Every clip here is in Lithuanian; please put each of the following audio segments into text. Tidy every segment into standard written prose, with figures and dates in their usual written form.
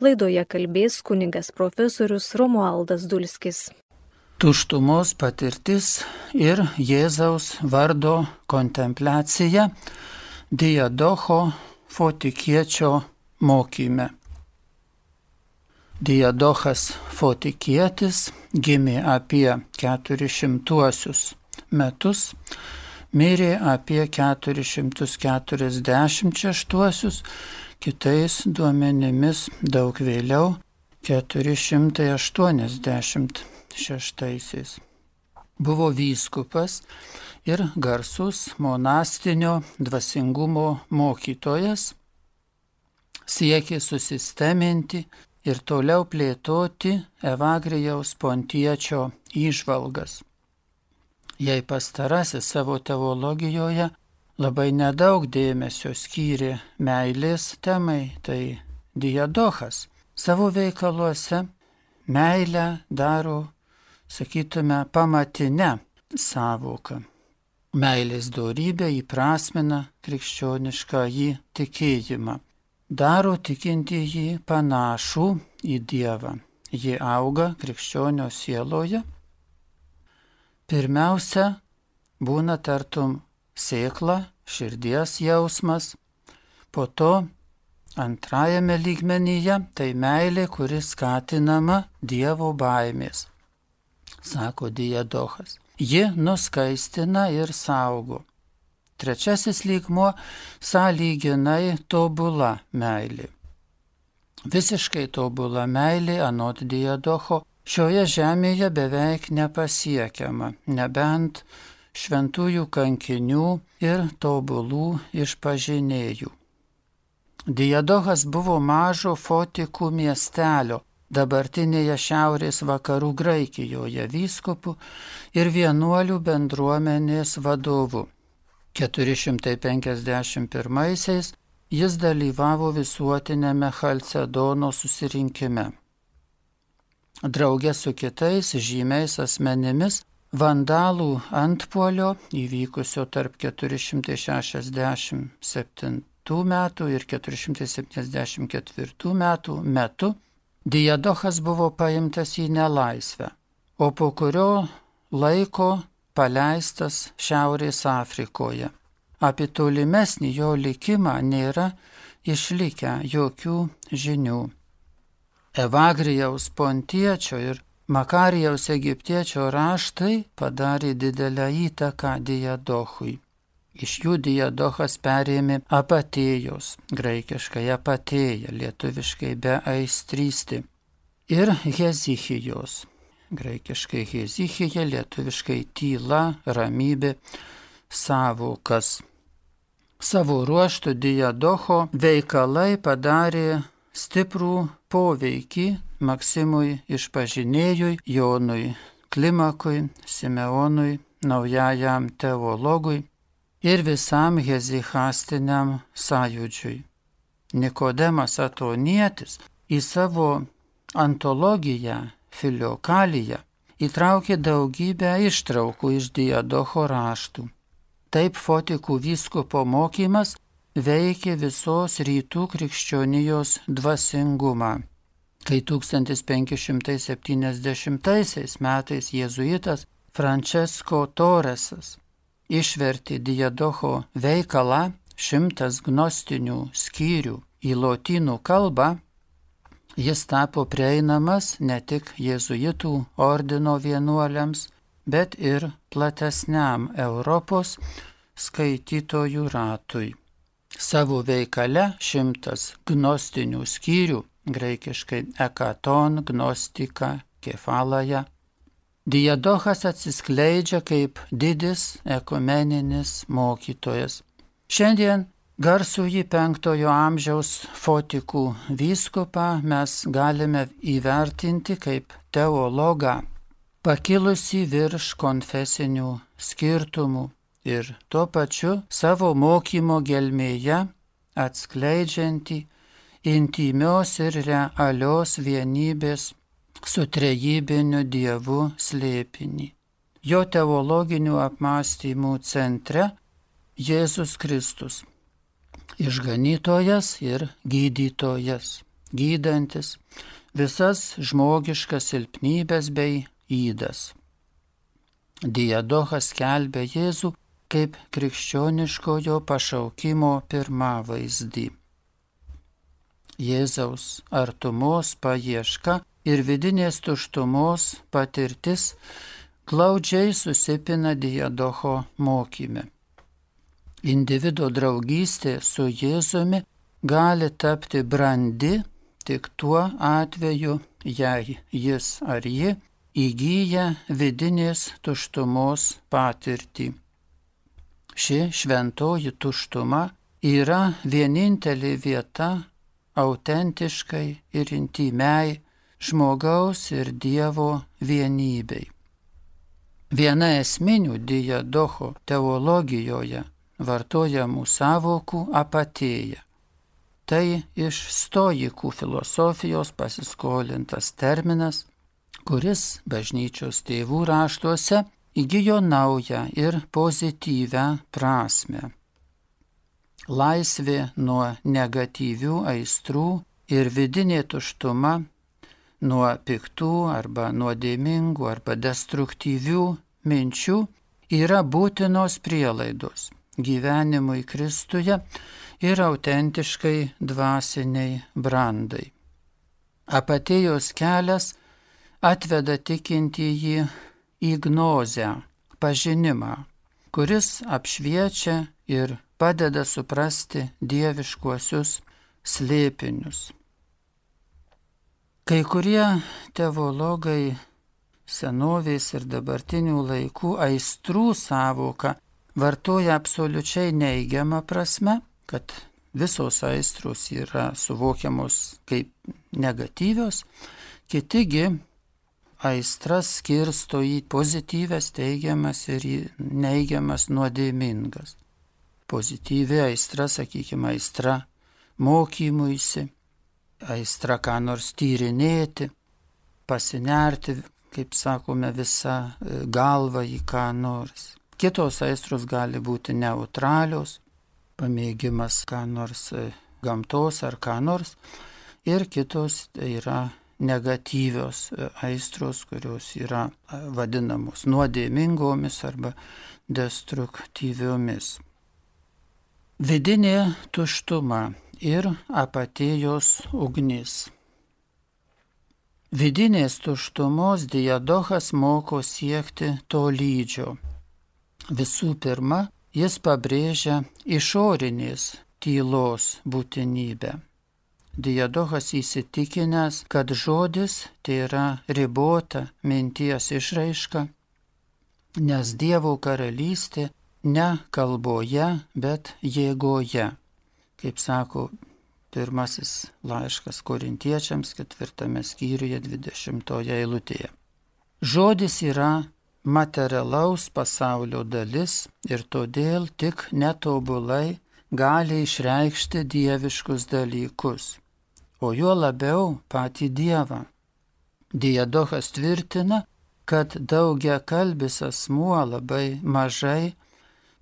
Laidoje kalbės kunigas profesorius Romualdas Dulskis. Tuštumos patirtis ir Jėzaus vardo kontempliacija Diadocho Fotikiečio mokyme. Diadochas Fotikietis gimė apie 400 metus, mirė apie 446, kitais duomenimis daug vėliau 486. Buvo vyskupas ir garsus monastinio dvasingumo mokytojas, siekė susisteminti ir toliau plėtoti Evagrijaus Pontiečio įžvalgas. Jei pastarasis savo teologijoje labai nedaug dėmesio skyrė meilės temai, tai Diadochas savo veikaluose meilę daro, sakytume, pamatinę sąvoką. Meilės dorybę įprasmina krikščioniškąjį tikėjimą. Daro tikintįjį panašų į Dievą. Ji auga krikščionio sieloje. Pirmiausia, būna tartum sėkla, širdies jausmas. Po to antrajame lygmenyje tai meilė, kuri skatinama Dievo baimės, sako Diadochas. Ji nuskaistina ir saugo. Trečiasis lygmuo - sąlyginai tobula meilė. Visiškai tobula meilė, anot Diadocho, šioje žemėje beveik nepasiekiama, nebent šventųjų kankinių ir tobulų išpažinėjų. Diadochas buvo mažo Fotikų miestelio, dabartinėje šiaurės vakarų Graikijoje vyskupu ir vienuolių bendruomenės vadovu. 451 jis dalyvavo visuotinėme Chalcedono susirinkime. Draugė su kitais žymiais asmenimis vandalų antpuolio įvykusio tarp 467 metų ir 474 metų metu Diadochas buvo paimtas į nelaisvę, o po kurio laiko paleistas Šiaurės Afrikoje. Apie tolimesnį jo likimą nėra išlikę jokių žinių. Evagrijaus Pontiečio ir Makarijaus Egiptiečio raštai padarė didelę įtaką Diadochui. Iš jų Diadochas perėmė apatėjos, graikiškai apatėja, lietuviškai beaistrysti, ir hezichijos, graikiškai hezichija, lietuviškai tyla, ramybė, sąvokas. Savo ruožtu Diadocho veikalai padarė stiprų poveikį Maksimui Išpažinėjui, Jonui Klimakui, Simeonui, naujajam teologui ir visam hezichastiniam sąjūdžiui. Nikodemas Atonietis į savo antologiją Filiokaliją įtraukė daugybę ištraukų iš Diadocho raštų. Taip Fotikų vyskupo mokymas veikė visos rytų krikščionijos dvasingumą. Kai 1570 metais jėzuitas Francesco Torresas išvertė Diadocho veikalą 100 gnostinių skyrių į lotynų kalbą, jis tapo prieinamas ne tik jėzuitų ordino vienuoliams, bet ir platesniam Europos skaitytojų ratui. Savo veikale 100 gnostinių skyrių, graikiškai ekaton, gnostika, kefalaja, Diadochas atsiskleidžia kaip didis ekumeninis mokytojas. Šiandien garsųjį 5 amžiaus Fotikų vyskupą mes galime įvertinti kaip teologą, pakilusį virš konfesinių skirtumų ir tuo pačiu savo mokymo gelmėje atskleidžiantį intymios ir realios vienybės su trejybiniu Dievu slėpinį. Jo teologinių apmąstymų centre Jėzus Kristus, išganytojas ir gydytojas. gydantis visas žmogiškas silpnybės bei ydas. Diadochas skelbia Jėzų kaip krikščioniškojo pašaukimo pirmavaizdį. Jėzaus artumos paieška ir vidinės tuštumos patirtis glaudžiai susipina Diadocho mokyme. Individo draugystė su Jėzumi gali tapti brandi tik tuo atveju, jei jis ar ji įgyja vidinės tuštumos patirtį. Ši šventoji tuštuma yra vienintelė vieta autentiškai ir intymiai žmogaus ir Dievo vienybei. Viena esminių Diadocho teologijoje vartojamų sąvokų apatėja. Tai iš stoikų filosofijos pasiskolintas terminas, kuris bažnyčios tėvų raštuose įgijo naują ir pozityvę prasmę. Laisvė nuo negatyvių aistrų ir vidinė tuštuma nuo piktų arba nuodėmingų arba destruktyvių minčių yra būtinos prielaidos gyvenimui Kristuje ir autentiškai dvasiniai brandai. Apatėjos kelias atveda tikintįjį į gnozę, pažinimą, kuris apšviečia ir padeda suprasti dieviškuosius slėpinius. Kai kurie teologai senovės ir dabartinių laikų aistrų sąvoką vartoja absoliučiai neigiamą prasme, kad visos aistros yra suvokiamos kaip negatyvios, kitigi aistras skirsto į pozityvias, teigiamas ir į neigiamas, nuodėmingas. Pozityvi aistra, sakykime, aistra mokymuisi, aistra ką nors tyrinėti, pasinerti, kaip sakome, visą galvą į ką nors. Kitos aistros gali būti neutralios, pamėgimas ką nors gamtos ar ką nors, ir kitos yra negatyvios aistros, kurios yra vadinamos nuodėmingomis arba destruktyviomis. Vidinė tuštuma ir apatėjos ugnis. Vidinės tuštumos Diadochas moko siekti tolydžio. Visų pirma, jis pabrėžia išorinės tylos būtinybę. Diadochas įsitikinęs, kad žodis tai yra ribota minties išraiška, nes Dievo karalystė ne kalboje, bet jėgoje, kaip sako pirmasis laiškas Korintiečiams 4 skyriuje 20 eilutėje. Žodis yra materialaus pasaulio dalis ir todėl tik netobulai gali išreikšti dieviškus dalykus, o juo labiau patį Dievą. Diadochas tvirtina, kad daugiakalbis asmuo labai mažai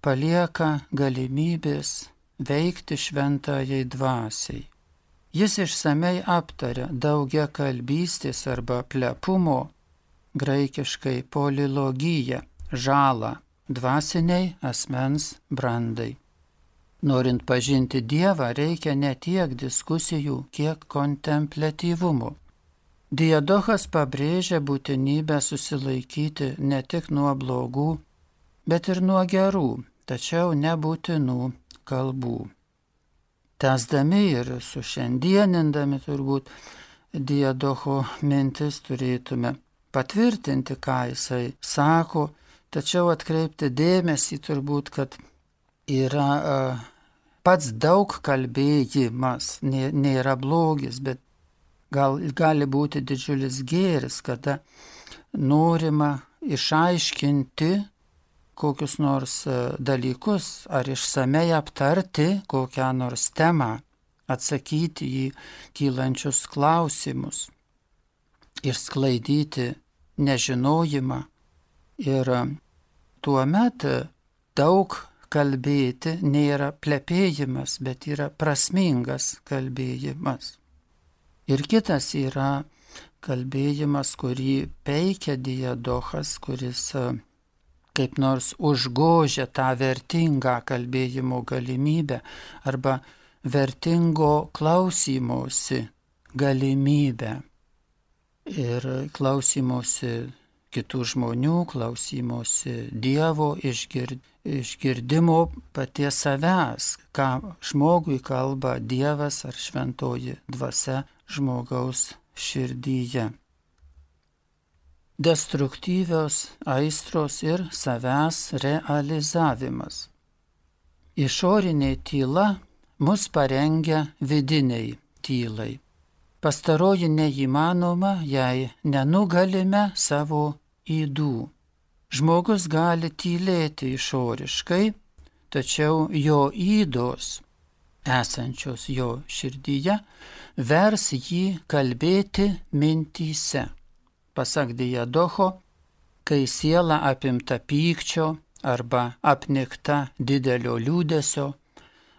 palieka galimybės veikti šventajai dvasiai. Jis išsamei aptaria daugiakalbystės arba plepumo, graikiškai polilogiją, žalą dvasiniai asmens brandai. Norint pažinti Dievą, reikia ne tiek diskusijų, kiek kontempliatyvumo. Diadochas pabrėžia būtinybę susilaikyti ne tik nuo blogų, bet ir nuo gerų, tačiau nebūtinų kalbų. Tęsdami ir sušiandienindami turbūt Diadocho mintis turėtume patvirtinti, ką jisai sako, tačiau atkreipti dėmesį turbūt, kad yra pats daug kalbėjimas, nėra blogis, bet gali būti didžiulis gėris, kada norima išaiškinti kokius nors dalykus ar išsamei aptarti kokią nors temą, atsakyti į kylančius klausimus, išsklaidyti nežinojimą ir tuomet daug kalbėti nėra plepėjimas, bet yra prasmingas kalbėjimas. Ir kitas yra kalbėjimas, kurį peikia Diadochas, kuris kaip nors užgožia tą vertingą kalbėjimo galimybę arba vertingo klausymosi galimybę. Ir klausymosi kitų žmonių, klausymosi Dievo, išgirdimo paties savęs, ką žmogui kalba Dievas ar šventoji dvasia žmogaus širdyje. Destruktyvios aistros ir savęs realizavimas. Išorinė tyla mus parengia vidiniai tylai. Pastaroji neįmanoma, jei nenugalime savo ydų. Žmogus gali tylėti išoriškai, tačiau jo ydos, esančios jo širdyje, vers jį kalbėti mintyse. Pasak Diadocho, kai siela apimta pykčio arba apnikta didelio liūdesio,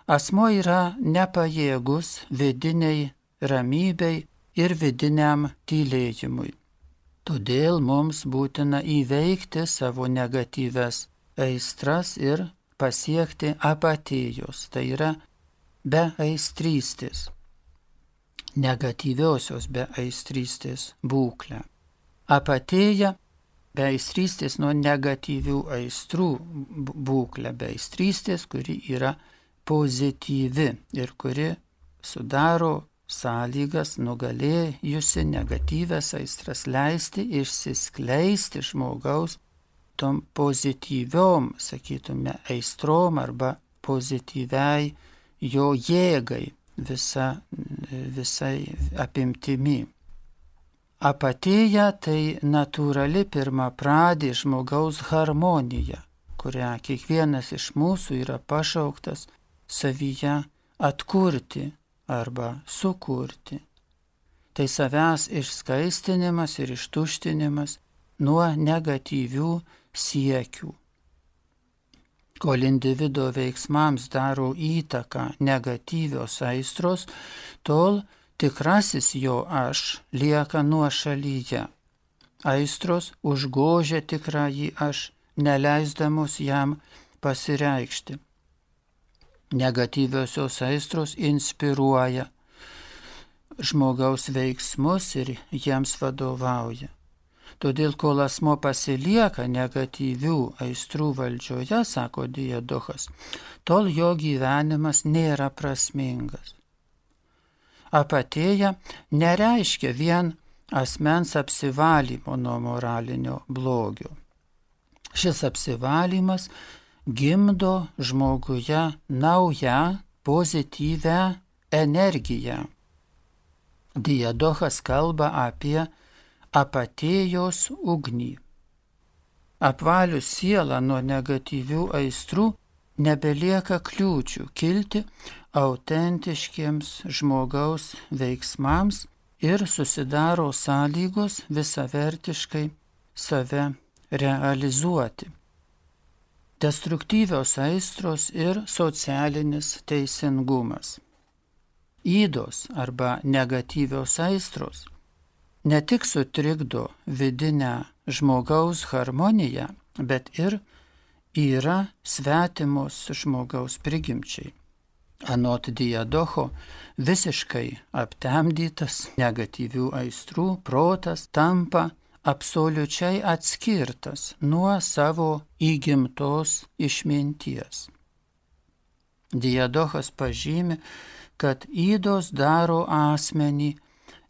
asmuo yra nepajėgus vidiniai ramybei ir vidiniam tylėjimui. Todėl mums būtina įveikti savo negatyves aistras ir pasiekti apatijos, tai yra beaistrystės, negatyviosios beaistrystės būklę. Apatija beaistrystės nuo negatyvių aistrų būklę, beaistrystės, kuri yra pozityvi ir kuri sudaro sąlygas nugalėjusi negatyvias aistras leisti išsiskleisti žmogaus tom pozityviom, sakytume, aistrom arba pozityviai jo jėgai visai apimtimi. Apatija tai natūrali pirmapradė žmogaus harmonija, kurią kiekvienas iš mūsų yra pašauktas savyje atkurti arba sukurti. Tai savęs išskaistinimas ir ištuštinimas nuo negatyvių siekių. Kol individo veiksmams daro įtaką negatyvios aistros, tol tikrasis jo aš lieka nuošalyje. Aistros užgožia tikrąjį aš, neleisdamos jam pasireikšti. Negatyviosios aistros inspiruoja žmogaus veiksmus ir jiems vadovauja. Todėl, kol asmo pasilieka negatyvių aistrų valdžioje, sako Diadochas, tol jo gyvenimas nėra prasmingas. Apatija nereiškia vien asmens apsivalymo nuo moralinio blogio. Šis apsivalymas gimdo žmoguje naują pozityvę energiją. Diadochas kalba apie apatijos ugnį. Apvalius sielą nuo negatyvių aistrų nebelieka kliūčių kilti autentiškiems žmogaus veiksmams ir susidaro sąlygos visavertiškai save realizuoti. Destruktyvios aistros ir socialinis teisingumas. Ydos arba negatyvios aistros ne tik sutrikdo vidinę žmogaus harmoniją, bet ir yra svetimos žmogaus prigimčiai. Anot Diadocho, visiškai aptemdytas negatyvių aistrų protas tampa absoliučiai atskirtas nuo savo įgimtos išminties. Diadochas pažymi, kad ydos daro asmenį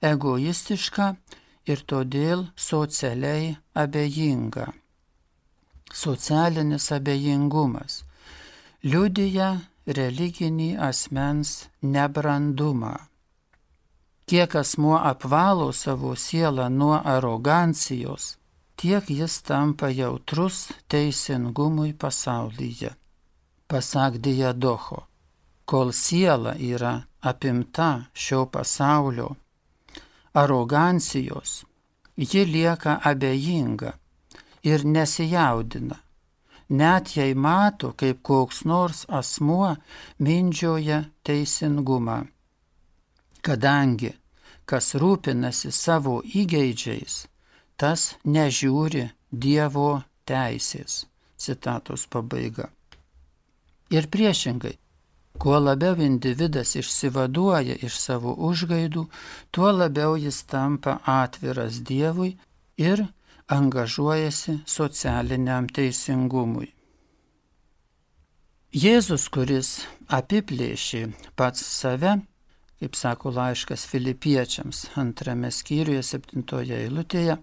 egoistišką ir todėl socialiai abejingą. Socialinis abejingumas liudija religinį asmens nebrandumą. Kiek asmuo apvalo savo sielą nuo arogancijos, tiek jis tampa jautrus teisingumui pasaulyje. Pasak Diadocho, kol siela yra apimta šio pasaulio arogancijos, ji lieka abejinga ir nesijaudina, net jei mato, kaip koks nors asmuo mindžioja teisingumą, kadangi kas rūpinasi savo įgeidžiais, tas nežiūri Dievo teisės. Citatos pabaiga. Ir priešingai, kuo labiau individas išsivaduoja iš savo užgaidų, tuo labiau jis tampa atviras Dievui ir angažuojasi socialiniam teisingumui. Jėzus, kuris apiplėšė pats save, kaip sako laiškas Filipiečiams 2 skyriuje 7 eilutėje,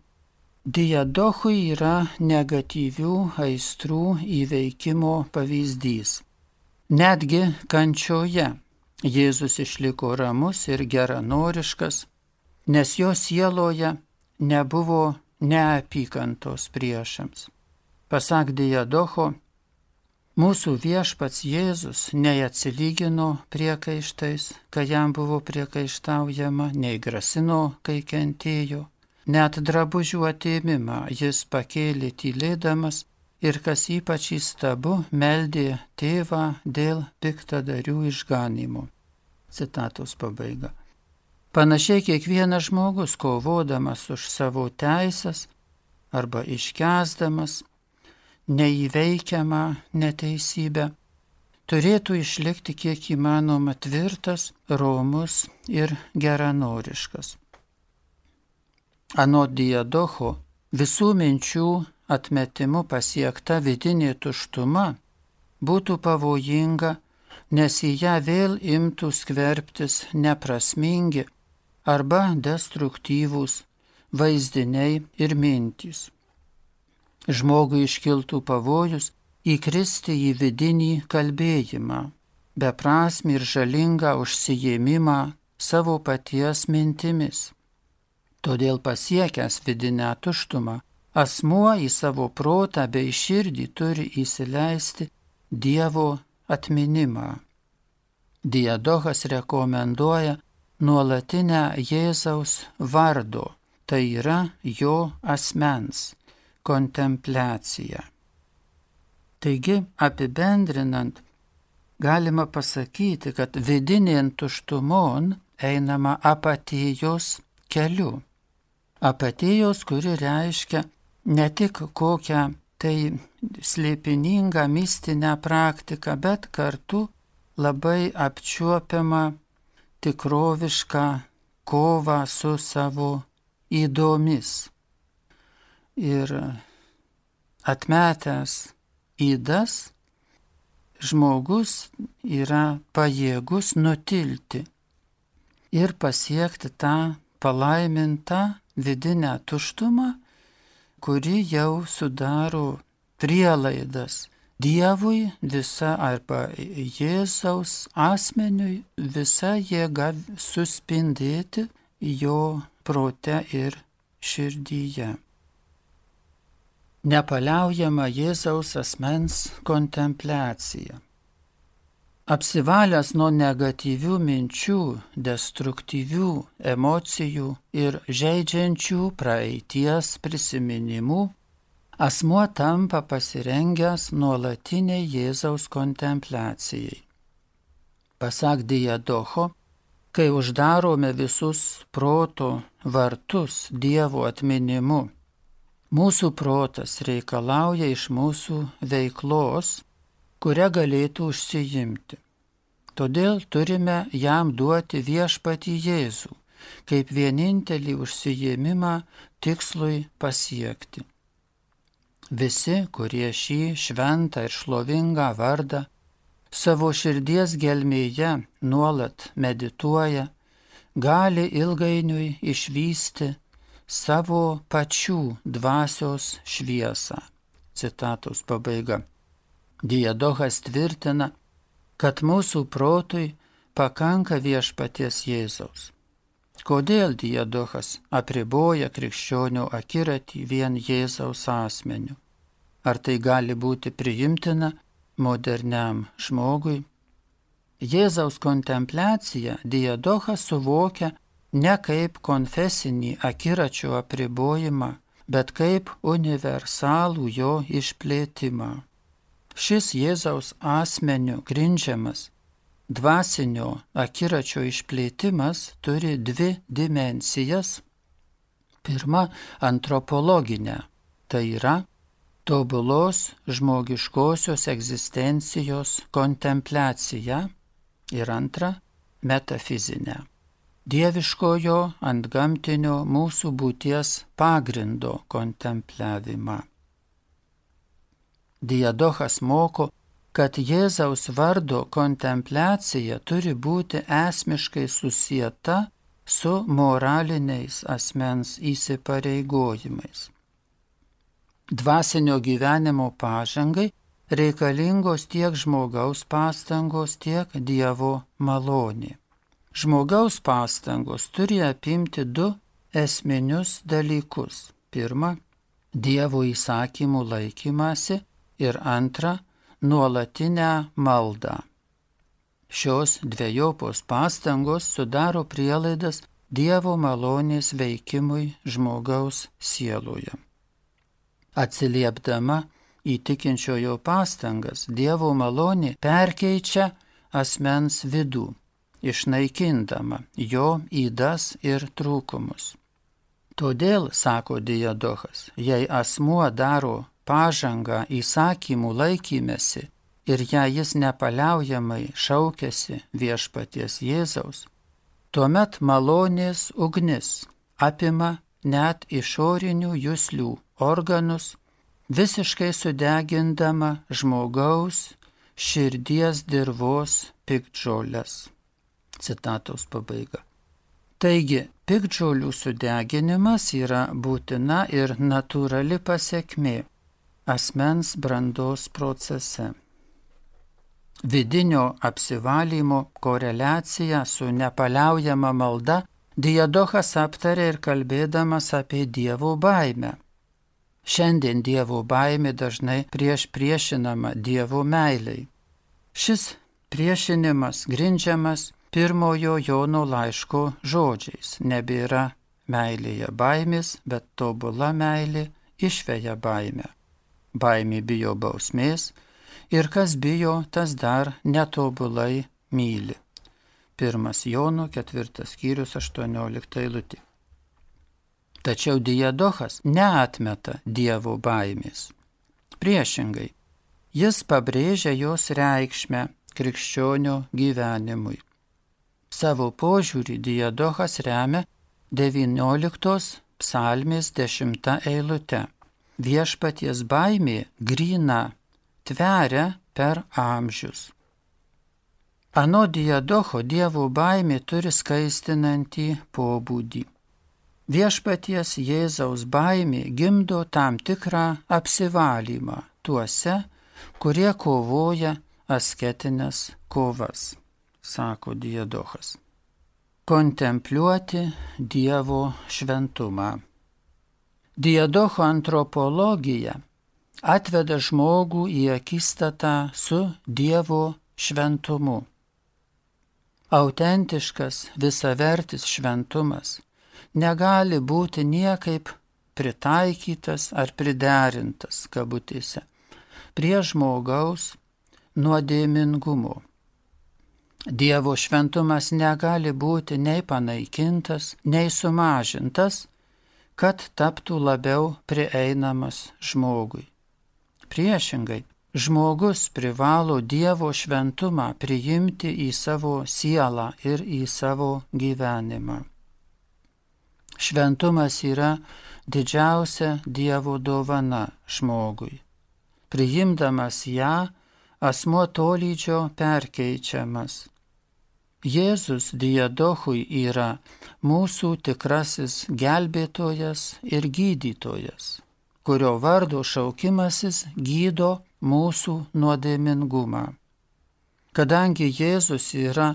diadochui yra negatyvių aistrų įveikimo pavyzdys. Netgi kančioje Jėzus išliko ramus ir geranoriškas, nes jo sieloje nebuvo neapykantos priešams. Pasak diadocho, mūsų viešpats Jėzus nei atsilygino priekaištais, kai jam buvo priekaištaujama, nei grasino, kai kentėjo. Net drabužių atėmimą jis pakėlė tylėdamas ir, kas ypač įstabu, meldė tėvą dėl piktadarių išganymo. Citatos pabaiga. Panašiai kiekvienas žmogus, kovodamas už savo teisės arba iškęsdamas neįveikiamą neteisybę, turėtų išlikti kiek įmanoma tvirtas, romus ir geranoriškas. Anot diadocho, visų minčių atmetimu pasiekta vidinė tuštuma būtų pavojinga, nes į ją vėl imtų skverbtis neprasmingi arba destruktyvūs vaizdiniai ir mintys. Žmogui iškiltų pavojus įkristi į vidinį kalbėjimą, beprasmį ir žalingą užsijėmimą savo paties mintimis. Todėl pasiekęs vidinę tuštumą, asmuo į savo protą bei širdį turi įsileisti Dievo atminimą. Diadochas rekomenduoja nuolatinę Jėzaus vardo, tai yra jo asmens kontempliaciją. Taigi, apibendrinant, galima pasakyti, kad vidinėn tuštumon einama apatijos keliu. Apatijos, kuri reiškia ne tik kokią tai slėpiningą mistinę praktiką, bet kartu labai apčiuopiamą tikrovišką kovą su savo ydomis. Ir atmetęs ydas, žmogus yra pajėgus nutilti ir pasiekti tą palaimintą vidinę tuštumą, kuri jau sudaro prielaidas Dievui visa arba Jėzaus asmeniui visa jėga suspindėti jo prote ir širdyje. Nepaliaujama Jėzaus asmens kontempliacija. Apsivalęs nuo negatyvių minčių, destruktyvių emocijų ir žeidžiančių praeities prisiminimų, asmuo tampa pasirengęs nuolatiniai Jėzaus kontempliacijai. Pasak diadocho, kai uždarome visus proto vartus Dievo atminimu, mūsų protas reikalauja iš mūsų veiklos, kurią galėtų užsiimti. Todėl turime jam duoti viešpatį Jėzų, kaip vienintelį užsiėmimą tikslui pasiekti. Visi, kurie šį šventą ir šlovingą vardą savo širdies gelmėje nuolat medituoja, gali ilgainiui išvysti savo pačių dvasios šviesą. Citatos pabaiga. Diadochas tvirtina, kad mūsų protui pakanka viešpaties Jėzaus. Kodėl diadochas apriboja krikščionių akiratį vien Jėzaus asmeniu? Ar tai gali būti priimtina moderniam žmogui? Jėzaus kontempliaciją diadochas suvokia ne kaip konfesinį akiračio apribojimą, bet kaip universalų jo išplėtimą. Šis Jėzaus asmeniu grindžiamas dvasinio akiračio išplėtimas turi dvi dimensijas. Pirma, antropologinė, tai yra tobulos žmogiškosios egzistencijos kontempliacija, ir antra, metafizinė, dieviškojo antgamtinio mūsų būties pagrindo kontempliavimą. Diadochas moko, kad Jėzaus vardo kontempliacija turi būti esmiškai susieta su moraliniais asmens įsipareigojimais. Dvasinio gyvenimo pažangai reikalingos tiek žmogaus pastangos, tiek Dievo malonė. Žmogaus pastangos turi apimti du esminius dalykus. Pirma, Dievo įsakymų laikymasi ir antra, nuolatinę maldą. Šios dvejopos pastangos sudaro prielaidas Dievo malonės veikimui žmogaus sieloje. Atsiliepdama į tikinčiojo pastangas, Dievo malonė perkeičia asmens vidų, išnaikindama jo ydas ir trūkumus. Todėl, sako Diadochas, jei asmuo daro pažangą įsakymų laikymesi ir jei jis nepaliaujamai šaukiasi viešpaties Jėzaus, tuomet malonės ugnis apima net išorinių juslių organus, visiškai sudegindama žmogaus širdies dirvos piktžoles. Citatos pabaiga. Taigi, piktžolių sudeginimas yra būtina ir natūrali pasekmė asmens brandos procese. Vidinio apsivalymo koreliacija su nepaliaujama malda Diadochas aptarė ir kalbėdamas apie Dievo baimę. Šiandien Dievo baimė dažnai priešinama Dievo meilei. Šis priešinimas grindžiamas pirmojo Jono laiško žodžiais. Nebėra meilėje baimės, bet tobula meilė išveja baimę. Baimė bijo bausmės ir kas bijo, tas dar netobulai myli. 1 Jono 4 skyrius 18 eilutė. Tačiau Diadochas neatmeta Dievo baimės. Priešingai, jis pabrėžia jos reikšmę krikščionio gyvenimui. Savo požiūrį Diadochas remia 19 psalmės 10 eilute. Viešpaties baimė gryna tveria per amžius. Ano Diadocho Dievo baimė turi skaistinantį pobūdį. Viešpaties Jėzaus baimė gimdo tam tikrą apsivalymą tuose, kurie kovoja asketinės kovas, sako Diadochas. Kontempliuoti Dievo šventumą. Diadocho antropologija atveda žmogų į akistatą su Dievo šventumu. Autentiškas, visavertis šventumas negali būti niekaip pritaikytas ar priderintas, kabutėse, prie žmogaus nuodėmingumo. Dievo šventumas negali būti nei panaikintas, nei sumažintas, kad taptų labiau prieinamas žmogui. Priešingai, žmogus privalo Dievo šventumą priimti į savo sielą ir į savo gyvenimą. Šventumas yra didžiausia Dievo dovana žmogui. Priimdamas ją, asmuo tolydžio perkeičiamas. Jėzus Diadochui yra mūsų tikrasis gelbėtojas ir gydytojas, kurio vardo šaukimasis gydo mūsų nuodėmingumą. Kadangi Jėzus yra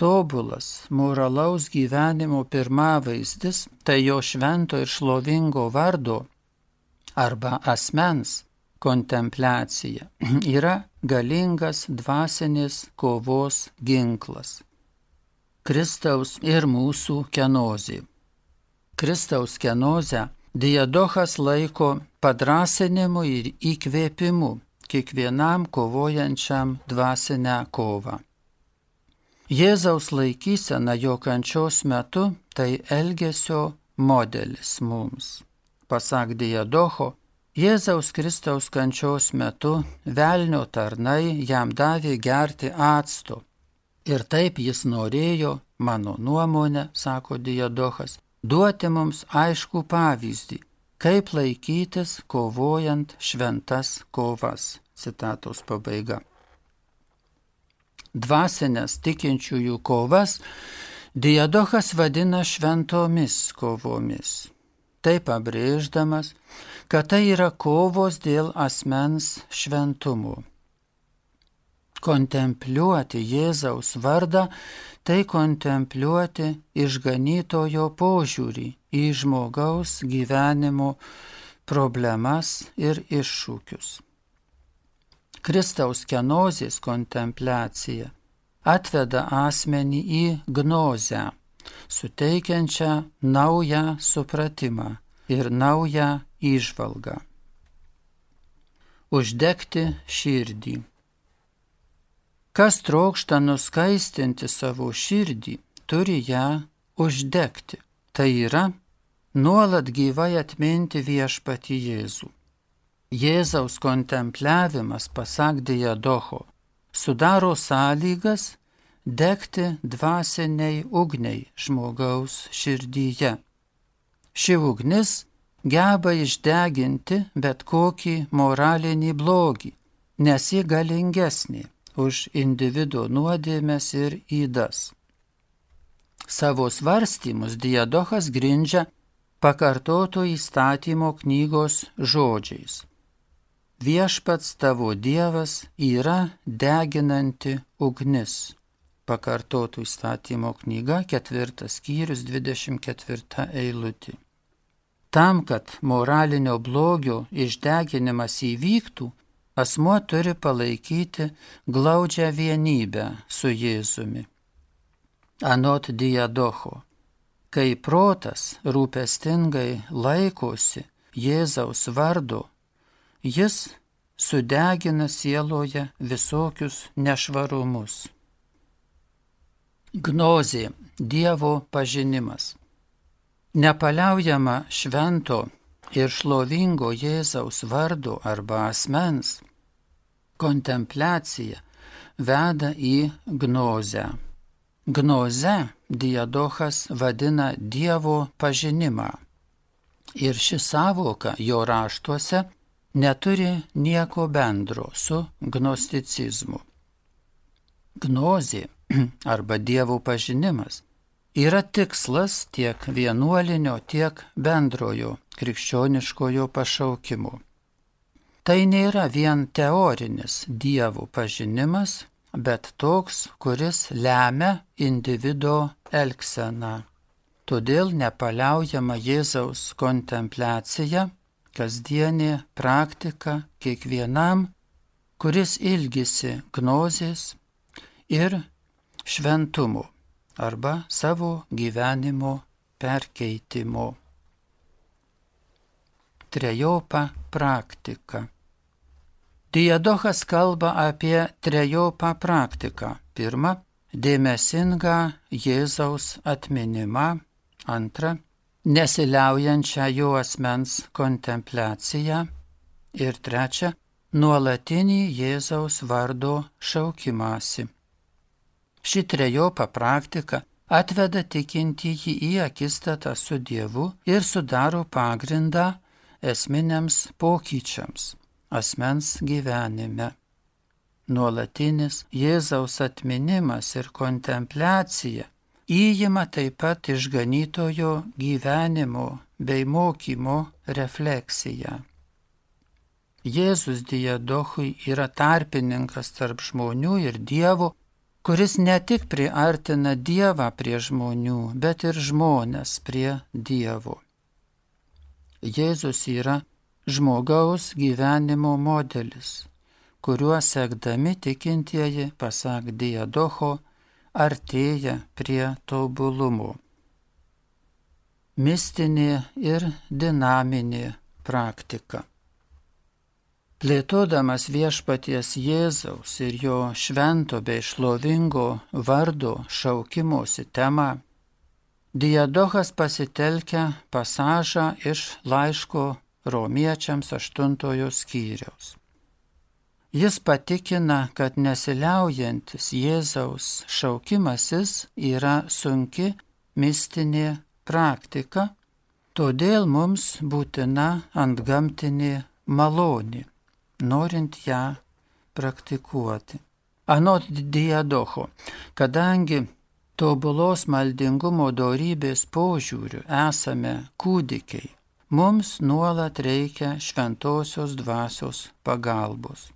tobulas moralaus gyvenimo pirmavaizdis, tai jo švento ir šlovingo vardo arba asmens kontempliacija yra galingas dvasinės kovos ginklas. Kristaus ir mūsų kenozė. Kristaus kenozę Diadochas laiko padrąsinimu ir įkvėpimu kiekvienam kovojančiam dvasinę kovą. Jėzaus laikysena jo kančios metu tai elgesio modelis mums. Pasak Diadocho, Jėzaus Kristaus kančios metu velnio tarnai jam davė gerti acto. Ir taip jis norėjo, mano nuomonė, sako Diadochas, duoti mums aiškų pavyzdį, kaip laikytis kovojant šventas kovas. Citatos pabaiga. Dvasinės tikinčiųjų kovas Diadochas vadina šventomis kovomis. Taip pabrėždamas, kad tai yra kovos dėl asmens šventumo. Kontempliuoti Jėzaus vardą, tai kontempliuoti išganytojo požiūrį į žmogaus gyvenimo problemas ir iššūkius. Kristaus kenozės kontempliacija atveda asmenį į gnozę, suteikiančią naują supratimą ir naują įžvalgą. Uždegti širdį. Kas trokšta nuskaistinti savo širdį, turi ją uždegti. Tai yra, nuolat gyvai atminti viešpatį Jėzų. Jėzaus kontempliavimas, pasak Diadocho, sudaro sąlygas degti dvasiniai ugniai žmogaus širdyje. Ši ugnis geba išdeginti bet kokį moralinį blogį, nes ji galingesnė už individo nuodėmes ir ydas. Savo svarstymus Diadochas grindžia pakartoto įstatymo knygos žodžiais. Viešpats tavo Dievas yra deginanti ugnis. Pakartotų įstatymo knyga, 4 skyrius, 24 eilutė. Tam, kad moralinio blogio išdeginimas įvyktų, asmuo turi palaikyti glaudžią vienybę su Jėzumi. Anot Diadocho, kai protas rūpestingai laikosi Jėzaus vardo, jis sudegina sieloje visokius nešvarumus. Gnozė – Dievo pažinimas. Nepaliaujama švento ir šlovingo Jėzaus vardo arba asmens kontempliacija veda į gnozę. Gnoze Diadochas vadina Dievo pažinimą. Ir ši sąvoka jo raštuose neturi nieko bendro su gnosticizmu. Gnozė arba Dievo pažinimas yra tikslas tiek vienuolinio, tiek bendrojo krikščioniškojo pašaukimo. Tai nėra vien teorinis Dievo pažinimas, bet toks, kuris lemia individo elgseną. Todėl nepaliaujama Jėzaus kontempliacija, kasdienė praktika kiekvienam, kuris ilgisi gnozės ir šventumo arba savo gyvenimo perkeitimo. Trejopą praktiką. Diadochas kalba apie trejopą praktiką. Pirma, dėmesingą Jėzaus atminimą. Antra, nesiliaujančią jo asmens kontempliaciją. Ir trečia, nuolatinį Jėzaus vardo šaukimąsi. Ši trejopa praktika atveda tikintįjį į akistatą su Dievu ir sudaro pagrindą esminiams pokyčiams asmens gyvenime. Nuolatinis Jėzaus atminimas ir kontempliacija įima taip pat išganytojo gyvenimo bei mokymo refleksiją. Jėzus Diadochui yra tarpininkas tarp žmonių ir Dievo, kuris ne tik priartina Dievą prie žmonių, bet ir žmones prie Dievo. Jėzus yra žmogaus gyvenimo modelis, kuriuo sekdami tikintieji, pasak Diadocho, artėja prie tobulumo. Mistinė ir dinaminė praktika. Plėtodamas viešpaties Jėzaus ir jo švento bei šlovingo vardo šaukimosi temą, Diadochas pasitelkia pasažą iš laiško Romiečiams 8 skyriaus. Jis patikina, kad nesiliaujantis Jėzaus šaukimasis yra sunki mistinė praktika, todėl mums būtina antgamtinė malonė, norint ją praktikuoti. Anot Diadocho, kadangi tobulos maldingumo dorybės požiūriu esame kūdikiai, mums nuolat reikia šventosios dvasios pagalbos.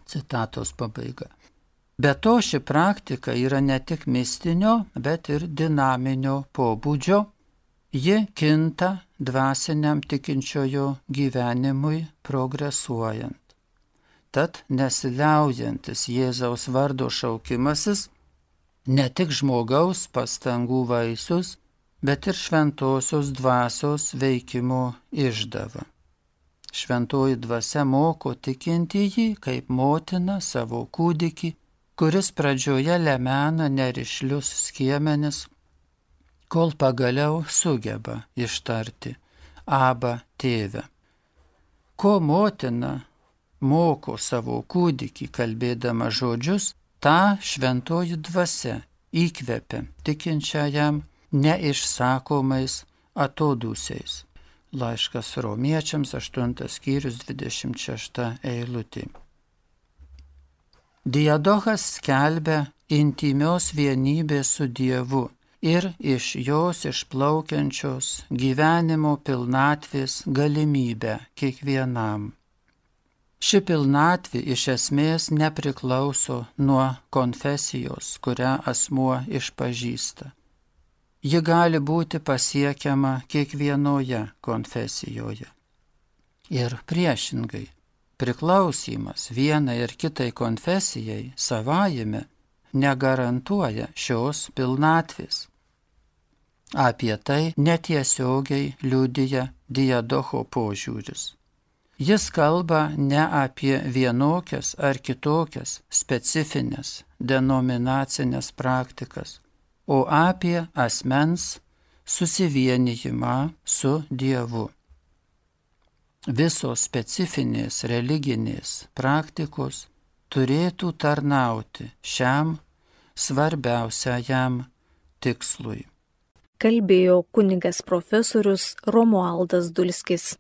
Citatos pabaiga. Be to ši praktika yra ne tik mistinio, bet ir dinaminio pobūdžio. Ji kinta dvasiniam tikinčiojo gyvenimui progresuojant. Tad nesiliaujantis Jėzaus vardo šaukimasis ne tik žmogaus pastangų vaisius, bet ir šventosios dvasios veikimo išdava. Šventoji dvasia moko tikintįjį kaip motina savo kūdikį, kuris pradžioje lemena nerišlius skiemenis, kol pagaliau sugeba ištarti Aba tėve. Ko motina moko savo kūdikį kalbėdama žodžius, tą šventoji dvasia įkvepia tikinčiajam neišsakomais atodūsiais. Laiškas Romiečiams 8 skyrius 26 eilutė. Diadochas skelbia intymios vienybės su Dievu ir iš jos išplaukiančios gyvenimo pilnatvės galimybę kiekvienam. Ši pilnatvė iš esmės nepriklauso nuo konfesijos, kurią asmuo išpažįsta. Ji gali būti pasiekiama kiekvienoje konfesijoje. Ir priešingai, priklausymas vienai ir kitai konfesijai savajame negarantuoja šios pilnatvės. Apie tai netiesiogiai liudija Diadocho požiūris. Jis kalba ne apie vienokias ar kitokias specifines denominacinės praktikas, o apie asmens susivienijimą su Dievu. Visos specifinės religinės praktikos turėtų tarnauti šiam svarbiausiajam tikslui. Kalbėjo kunigas profesorius Romualdas Dulskis.